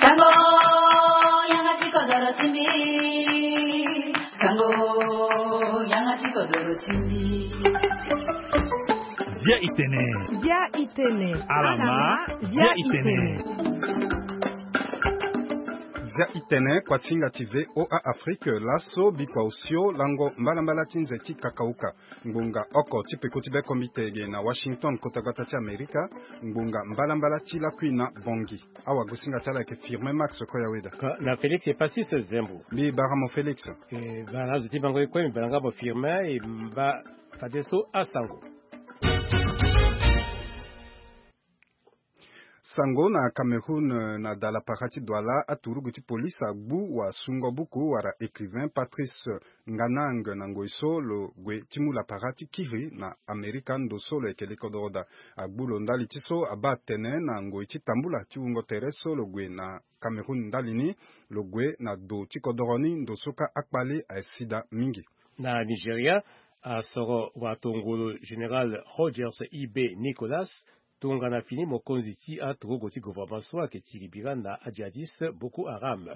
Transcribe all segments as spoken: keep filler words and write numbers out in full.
Sango, yanga ti kodoro ti mbi. Sango, yanga ti kodoro ti mbi. Zia itene. Zia itene. Alama. Zia itene. Zia itene, kuasinga ti VOA Afrique, laso bikua osio lango mbalambala ti nze ti kakauka. Ngbonga oko ti peko ti be kombi tege na Washington, kota gbata ti Amerika. Ngbonga mbalambala ti lakui na Bongi. Awagosinga ti ala ayeke Firmin Max Koyaweda. Ka-, na Félix Epasis Zembo. Mbi bara mo Félix. E, bara na azo ti bango ye kue, mbi bara nga mo Firmin, e mba fadeso asango. Sango na Cameroun, na dalapara ti Douala, aturugu ti polisi agbu wasungo buku wala écrivain Patrice Nganang na ngoi so lo gue ti mu lapara ti kiri na Amerika, ndo so lo yeke lekodoro daa. Agbu lo ndali ti so abaa tene na ngoi ti tambula ti wungo tere so lo gue na Cameroun ndali ni, lo gue na do ti kodoro ni, ndo so kâ akpale aye si daa mingi. Na Nigeria, asoro watongolo général Rogers Ibe Nicolas tongana fini mokonzi ti aturugu ti gouvernement so ayeke tiribira na ajihadiste Boko Haram.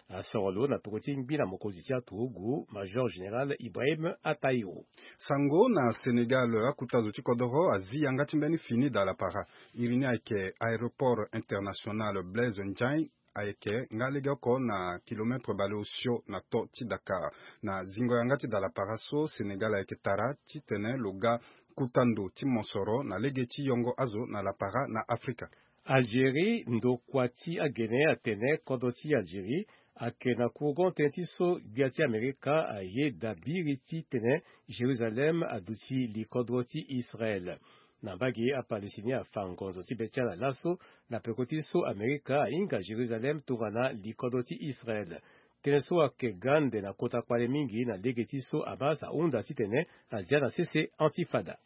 Asoro lo na peko ti ngbi na mokonzi ti aturugu, major général Ibrahim Atahiru. Sango na Sénégal, akuta zo ti kodoro azi yanga ti mbeni fini dalapara. Iri ni ayeke aéroport international Blaise Ndiaye, ayeke nga lege oko na kilomètre baleosio na to ti Dakar. Na zingo yanga ti dalapara so, Sénégal ayeke tara titene lo ga kuta ndo ti mosoro na lege ti yongo azo na lapara na Afrika. Algérie, ndokua ti agene atene kodro ti Algérie ayeke na courant tënë ti so gbia ti Amerika aye dabiri titene Jérusalem aduti likodro ti Israel. Na mbage ye, aPalestiniens afa ngonzo ti be ti ala laso na peko ti so Amerika ahinga Jérusalem tongana likodro ti Israel. Tënë so ayeke ga ande na kota kpale mingi na lege ti so Hamas ahunda titene azia na sese Antifada.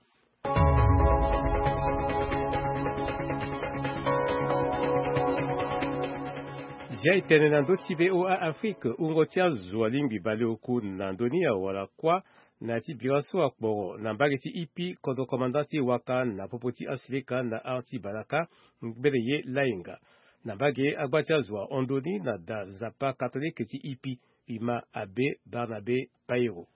Zia e tene na ndö ti VOA Afrique, wungo ti azo alingbi baleoku na ndö ni awara kuâ na ya ti bira so akporo na mbage ti Ipi, kodro komanda ti Waka na popo ti asilika na art ti Balaka, mbele ye Lainga. Na mbage ye, agba ti azo ahon ndö ni na da Nzapa katolike ti Ipi, Ima Abbé Barnabé Pairo.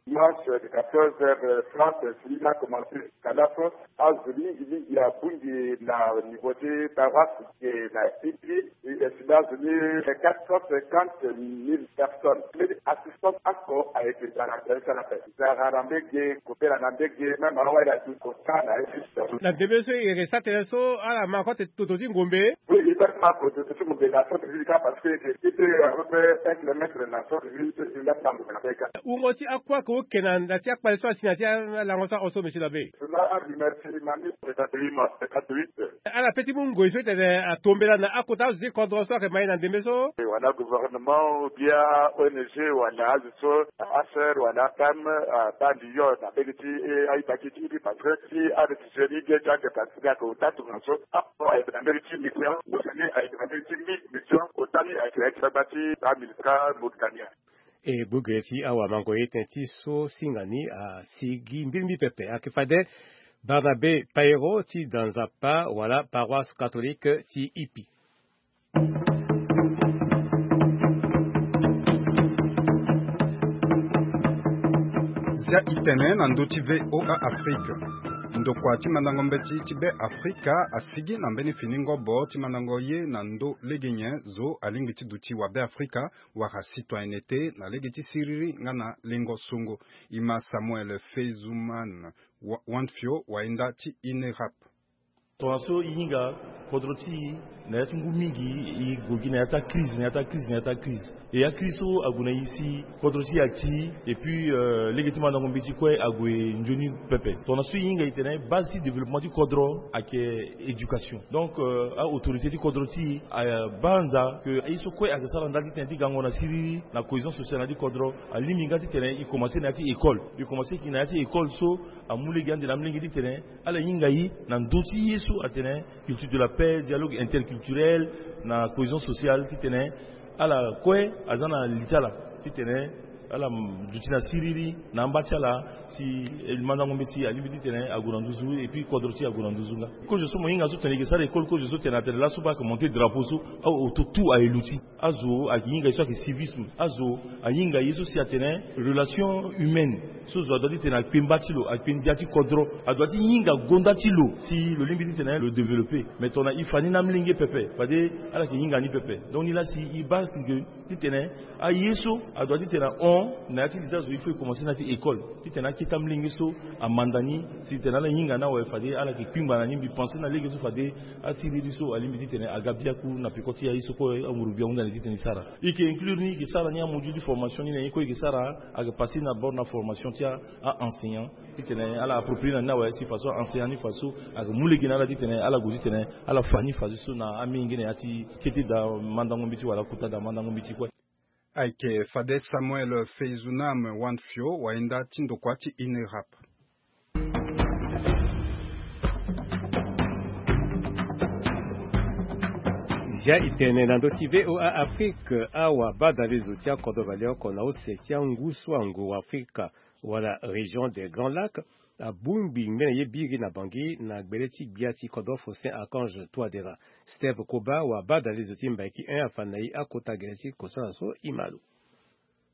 Dimanche de quatorze heures, euh, trente, fini la commencé. Kadafa, azo mingi mingi abungi na niveau ti paroisse ke na Ipi, et sida azo ni quatre cent cinquante mille personnes. Mbeni assistance oko ayeke zara tene ti ala ape. Zara na mbage, kobela na mbage, même awa ila ti kota na ye. Na ndembe so e yeke sara tënë so, ala ma kue ti toto ti ngombe. Oui, il faut pas que toto ti ngombe na centre-ville kâ, parce que ti peut à peu près un kilomètre na centre-ville, ti peut ti nga ti na ngombe na mbage kâ. Wungo ti akua ke oke na, na ti akpale so asi na ti alango so ahon so, monsieur l'abbé? Cela a remercié ma mise de catholique, de catholique. Ala pe ti mu ngoi so ti tene atombela na akota azo ti kodro so ayeke ma e na ndembe so. Wala gouvernement ou bien O N G wala azo so, H C R wala PAM, ah, baa lion na mbage ti, eh, aita ti ti, parce que ti aréfugié ni ge ti ake, parce que ake ota tongana so. Ah, bon, ayeke na mbage ti mission, ayeke na mbage ti mi-, mission, ota ni ayeke na ye ti fâ ti baa MINUSCA Mauritanie. E gbu gere ti awamango ye tënë ti so singa ni asigi mbirimbi pepe. Ayeke fade Barnabé Pairo ti da Nzapa wala paroisse catholique ti Ipi. Zia e tene na ndö ti VOA Afrique. Ndokua ti mandango mbeti ti Be Afrika asigi na mbeni fini ngobo ti mandango ye na ndö lege nyen zo alingbi ti duti wa Be Afrika wala citoyenneté na lege ti siriri nga na lengo songo. Ima Samuel Feizuman Wa-, Wanfio, wayenda ti INERAP. Tongana so e hinga kodro ti e na ya ti ngu mingi, e gue gi na ya ti acrise, na ya ti acrise, na ya ti acrise. E acrise so ague na e si kodro ti e ati, et puis, euh, lege ti mandango mbeti kue ague nzoni pepe. Tongana so e hinga e tene base ti développement ti kodro ayeke éducation. Donc, euh, a-autorité ti kodro ti e abaa nza ke aye so kue ayeke sara ndali ti tene ti gango na siriri na cohésion sociale na ya ti kodro, alingbi nga ti tene e commencé na ya ti école. E commencé gi na ya ti école so amu lege ande na amolenge ti tene ala hinga e na ndö ti ye so atene culture de la paix, dialogue interculturel, na cohésion sociale, ti tene ala kue aza na li ti ala ti tene Ala duti na siriri na amba ti ala, si mandango mbeti alingbi titene ague na nduzu, et puis kodro ti e ague na nduzu nga. Kozo so mo hinga so tene e ke sara école, kozo so tene atene laso baa ayeke monter drapeau so, aoto tout aye luti. Azo ayeke hinga ye so ayeke civisme. Azo ahinga ye so si atene relation humaine. So zo adoit titene akpe mba ti lo, akpe ndia ti kodro. Adoit ti hinga gonda ti lo si lo lingbi titene lo développer. Mais tongana e fa ni na amolenge pepe, fade ala yeke hinga ni pepe. Donc ni laa si e baa ke titene aye so adoit titene ahon na ya ti li ti azo, il faut e commencer na ya ti école. Titene akete amolenge so amanda ni, si titene ala hinga ni awe, fade ala yeke kpingba na ni. Mbi pense na lege so fade asiriri so alingbi titene aga biaku na peko ti aye so kue anguru gbia ahunda na e titene e sara. E yeke inclure ni, e yeke sara ni amodule ti formation ni na ye kue e yeke sara, ayeke passer na bord na formation ti a-enseignant. Titene ala approprier na ni awe, si faso a-enseignant ni faso ayeke mu lege na ala titene ala gue titene ala fa ni fadeso na amenge na ya ti kete daa mandango mbeti wala kota daa mandango mbeti kue. Ayeke fade Samuel Feizounam Wanfio, wayenda ti ndokua ti INERAP. Zia e tene na ndö ti V O A Afrique, awabadalezo ti akodro valioko na use ti angu so anguru Afrika wala région des Grands Lacs abongbi ngbene ye biri na Bangui na gbele ti gbia ti kodro Faustin Archange Touadéra. Steve Koba, wabadalezo ti Mbaiki un, afa na e akota gere ti kosala so e ma lo.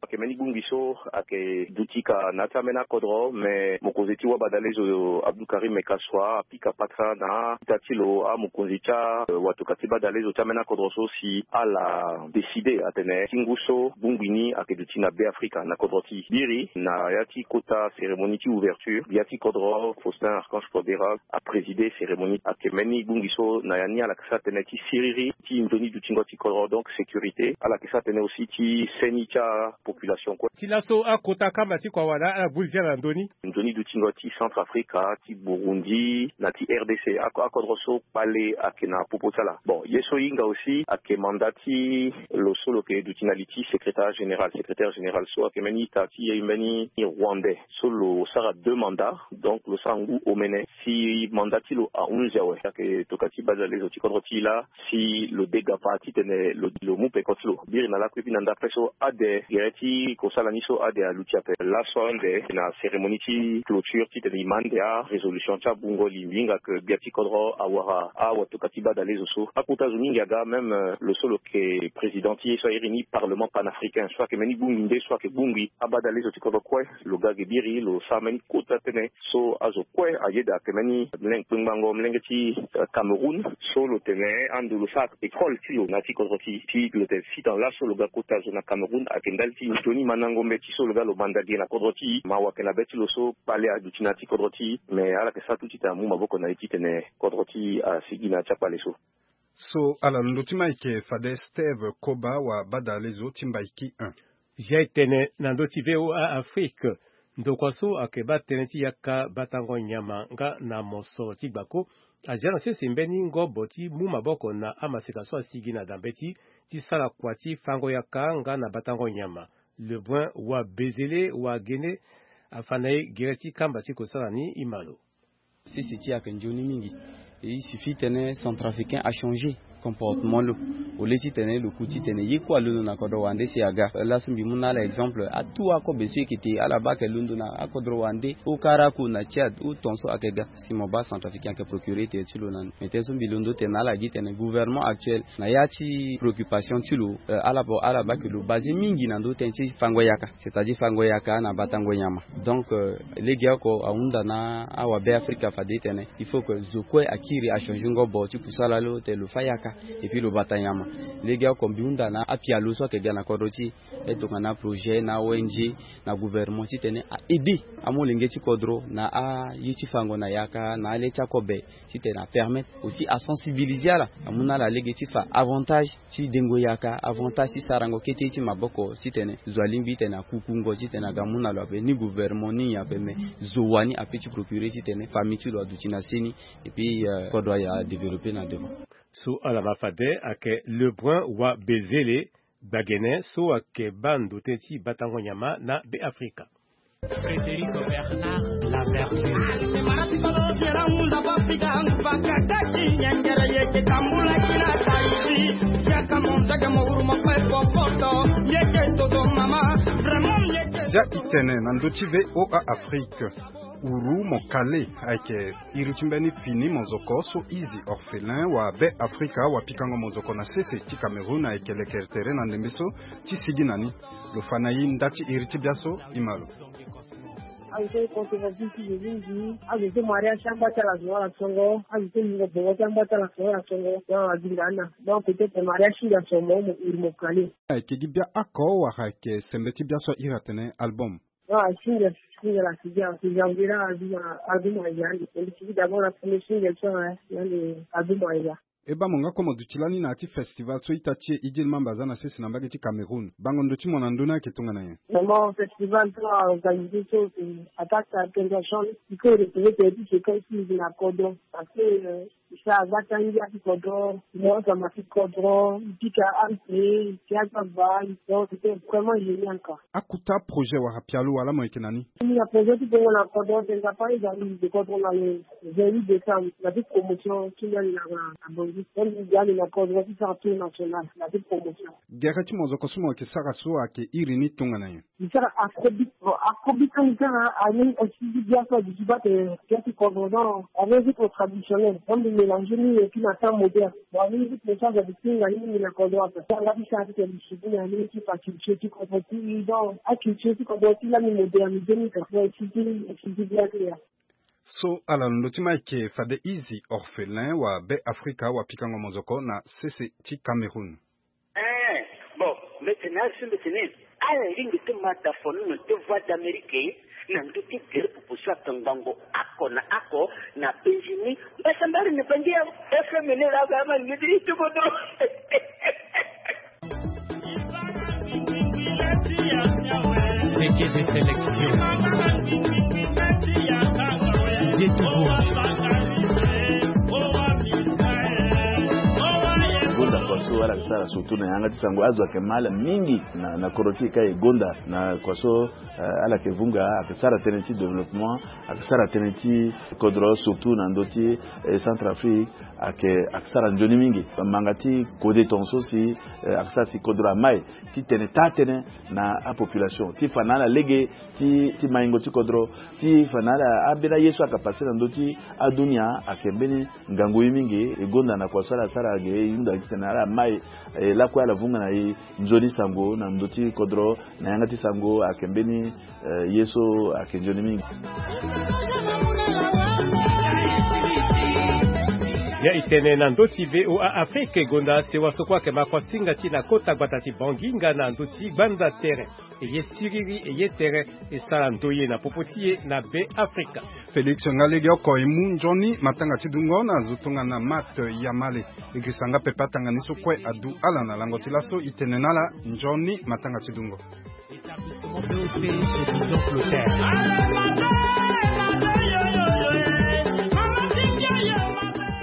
Ayeke mbeni bongbi so ayeke duti ka na ya ti ambeni akodro, me mokonzi ti wabadalezo Abdou Karim Kassoua apika patra na ita ti lo, amokonzi ti a, eh, watoka ti badalezo ti ambeni akodro so si ala décider atene ti ngu so bongbi ni ayeke duti na Be Afrika na kodro ti biri na ya ti kota cérémonie ti ouverture ya ti kodro Faustin Archange Touadéra aprésider cérémonie. Ayeke mbeni bongbi so na ya ni ala yeke sara tënë ti siriri ti nzoni dutingo ti kodro, donc sécurité. Ala yeke sara tënë aussi ti seni ti apopulation kue. Ti laso akota kamba ti kua wala ala buli ti ala na ndö ni. Nzoni dutingo ti Centrafrique, ti Burundi na ti R D C, ako- akodro so kpale ayeke na popo ti ala. Bon, ye so e hinga aussi ayeke mandat ti lo so lo yeke duti na li ti secrétariat général. Secrétaire général so ayeke mbeni ita ti mbeni Rwandais so lo sara deux mandats, donc lo sara ngu omene. Si mandat ti lo ahunzi awe, ayeke tokua ti badalezo ti kodro ti e laa si lo dega fa titene lo, lo mu peko ti lo. Biri na lakue, e bi na ndapre so ade gere ti kosala ni so ade aluti ape. Laso ande na cérémonie ti clôture titene e ma ande arésolution ti abungo li, mbi hinga ke gbia ti kodro awara awatokua ti badalezo so. Akota zo mingi aga, même, euh, lo so lo yeke président ti ye so a iri ni parlement panafricain, so ayeke mbeni bongbi nde so ayeke bongbi abadalezo ti kodro kue. Lo ga ge biri, lo sara mbeni kota tënë so azo kue ayeda. Ayeke mbeni mlenge kpengbango mlenge ti, eh, Cameroun so lo tene ando lo sara école ti lo na ya ti kodro ti e. Ti lo tene sitana laso lo ga kota zo na Cameroun ayeke ndali ti nzoni mandango mbeti so lo ga lo manda ge na kodro ti e. Mawa ayeke na be ti lo so kpale aduti na ya ti kodro ti e, me ala yeke sara tout titene amu maboko na e titene kodro ti e asigi na ya ti akpale so. So ala na ndö ti ma ayeke fade Steve Koba, wabadalezo ti Mbaiki un. Zia e tene na ndö ti V O A Afrique, ndokua so ayeke baa tënë ti yaka batango nyama nga na mosoro ti gbako azia na sese mbeni ngobo ti mu maboko na amaseka so asigi na da mbeti ti sara kua ti fango yaka nga na batango nyama. Lebrun Wabezele Wagene afa na e gere ti kamba ti kosala ni, e ma lo. Sese ti e ayeke nzoni mingi. Il suffit titene Centrafricain achanger comportement lo. Au lieu titene lo ku titene ye kue alondo na kodro wande si aga. Laso mbi mu na ala exemple, atout akobe so e yeke te, ala baa ayeke londo na akodro wande, o Karakou na Tchad, o ton so ayeke ga. Si mo baa Centrafricain ayeke procurer tere ti lo na ni. Mais tënë so mbi londo tene na ala gi tene gouvernement actuel na ya ti préoccupation ti lo, eh, ala bo, ala baa ke lo basé mingi na ndö tënë ti fango yaka, c'est-à-dire fango yaka na batango nyama. Donc, euh, legeoko ahunda na awabe Afrika fade tene il faut que zo kue akiri achanger ngobo ti kusala lo tene lo fa yaka et puis lo bata nyama. Legeoko mbi hunda na apialo so ayeke ga na kodro ti e, tongana projet na O N G na gouvernement titene a aider amolenge ti kodro na aye ti fango na yaka na ale ti akobe. Titene apermettre aussi asensibiliser ala, amu na ala lege ti fa avantage ti dengo yaka, avantage ti sarango kete ti maboko, titene zo alingbi titene akukungo titene aga mu na lo ape, ni gouvernement ni nyen ape, me zo wani ape ti procurer titene famille ti lo aduti na seni, et puis, euh, kodro aye adévelopper na devant. So ala ma fade ayeke Lebrun Wabezele Gbagene so ayeke baa ndo tënë ti batango nyama na Be Afrika. Frédéric Bernard Laverture. Dia itene na ndö ti VOA Afrique. Uru mo kale ayeke iri ti mbeni fini mozoko so izi orphelin wa Be Afrika wa pikango mozoko na sese ti Cameroun ayeke lekere tere na ndembe so ti sigi na ni. Lo fa na i nda ti iri ti biaso i ma lo. Azo so e conservative ti zo mingi, azo so mariage ti amba ti ala zo ala songo, azo so lingo bongo ti amba ti ala zo ala songo, na azinga ana. Donc peut-être mariage ti nga so mo mo iri mo kale. Ayeke gi bia oko wala ayeke sembe ti biaso a iri atene album? Non, single, single asi dia, si janvier la, azuma, azuma ya, ande. Ande, si d'abord la première single, so, hein, ande, azuma ya. E baa mo nga kue mo duti lani na ya ti festival so ita ti e Idil Mamba aza na sese na mbage ti Cameroun. Bango ndo ti mo na ndö ni ayeke tongana nyen? Vraiment, festival so a organisé so, c'est attaque à l'organisation. Il faut retrouver tes petits séquences na kodro. Parce que, euh, ça va tangi à ti kodro, moi, ça m'a fait kodro, pika ampe, pika ba, donc c'était vraiment génial, quoi. Akota projet wala pialo wala mo yeke na ni? Ni na projet ti bongo na kodro, c'est ça, par exemple, de kodro na le vingt-huit décembre, na ti promotion, ti ndali na, na, na Bangui. Donc, ni ndali na kodro, ti sara tour national, na ti promotion. Gere ti mozoko so mo yeke sara so ayeke iri ni tongana nyen? Ni sara afrobeat, bon, afrobeat so ni sara, ani aussi, ni bia so, ni bia ti kodro, donc, avec rythme traditionnel, donc, ni mélanger ni, et puis na temps moderne. Bon, ni rythme so, ça, ni tinga ni, ni na kodro, après, ça, nga ti sara ti tene, ni suivi na ni, ti fa culture ti kodro ti, donc, a culture ti kodro ti, la, ni moderniser ni, ça, c'est, c'est, c'est bien clair. So, ala lo ndo ti ma ayeke fade izi orphelin wa Be Afrika wa pikango mozoko na sese ti Cameroun. Eh, bon, mbeti na asu mbeti ni. Ala lingbi ti ma da fono na ti Voix d'Amérique na ndö ti gere popo so akangbango oko na oko na Benjini. Mbasambari ni bangi ya F M ni la ga ma ni ti ti bodo. Seke de sélection. Yetubo. Gonda Faso ala sara surtout na yanga ti sango azo ayeke ma ala mingi na, na kodro ti e ka e gonda na kua so, eh, ala yeke vunga, ayeke sara tënë ti développement, ayeke sara tënë ti kodro, surtout na ndö ti, eh, Centrafrique, ayeke, ayeke sara nzoni mingi. Manga ti kode tongaso si, eh, ayeke sara si kodro amai ti tene taa-tënë na apopulation, ti fa na ala lege ti, ti maingo ti kodro, ti fa na ala ambeni aye so ayeke passé na ndö ti adunia, ayeke mbeni ngangu ye mingi. E gonda na kua so ala sara ge, e hunda titene ala mai, eh, lakue ala vunga na e nzoni sango na ndö ti kodro, na yanga ti sango ayeke mbeni, eh, ye so ayeke nzoni mingi. Ya e tene na ndö ti VOA Afrique, gonda sewa so kue ayeke ma kua singa ti na kota gbata ti Bangui nga na ndö ti gbanda tere. E ye siriri, e ye tere, e sara ndoye na popo ti e na Be Afrika. Félix nga lege oko e mu nzoni matanga ti dungo na zo tongana Mat Yamale. E girisa nga pepe atanga ni so kue adu ala na lango ti laso. E tene na ala nzoni matanga ti dungo. Établissement B O P, solution flottaire.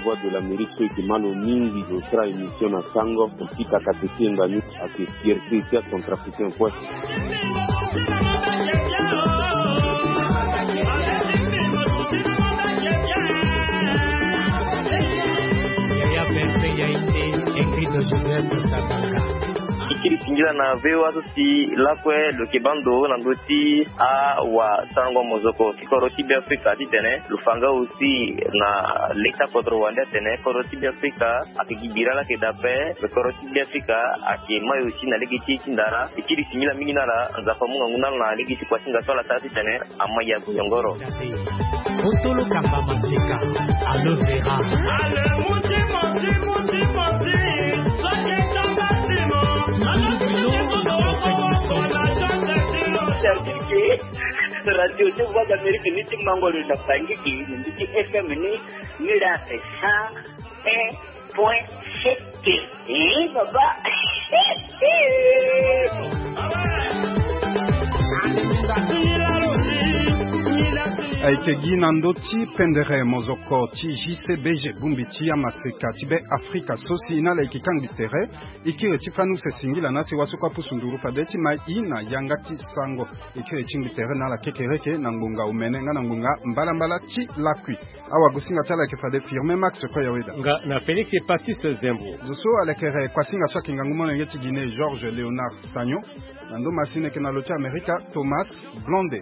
Voix de l'Amérique so e yeke ma lo mingi lo sara émission na sango, e pika kateke nga ni ayeke fierté ti acentrafricain kue. Yaya Vincent Yaïté, Ingrid Joseph Sabaka. E kiri singila na VOA so si lakue lo yeke baa ndo na ndö ti awasarango mozoko ti kodro ti Beafrika titene lo fa nga aussi na le ti akodro wande atene kodro ti Beafrika ayeke gi bira laa ayeke daa ape. Kodro ti Beafrika ayeke mai aussi na lege ti e ti ndara. E kiri singila mingi na ala, Nzapa amu ngangu na ala na lege ti kua ti nga so ala sara titene ama ya goyongoro. Otolo kamba maseka, aloe vera. Radio ti Voix d'Amérique ni ti mango lo na Bangui, ni ti F M ni, ni la fait cent un point sept. Eh, papa. Ayeke gi na ndö ti pendere mozoko ti J C B G, bongbi ti amaseka ti be Afrika so si na ala yeke kangbi tere. E kiri ti fani use singila na si waso kue apusu nduru fade ti ma e na yanga ti sango. E kiri ti ngbi tere na ala kekereke na ngbonga omene nga na ngbonga mbalambala ti lakui. Awagosinga ti ala yeke fade Firmin Max Koyaweda. Nga na Félix Epatis Zembo. Zo so alekere kuasinga so ayeke ngangu molenge ti Guinée, Georges Léonard Sagnon. Na ndö masini ayeke na lo ti Amerika, Thomas Blonde.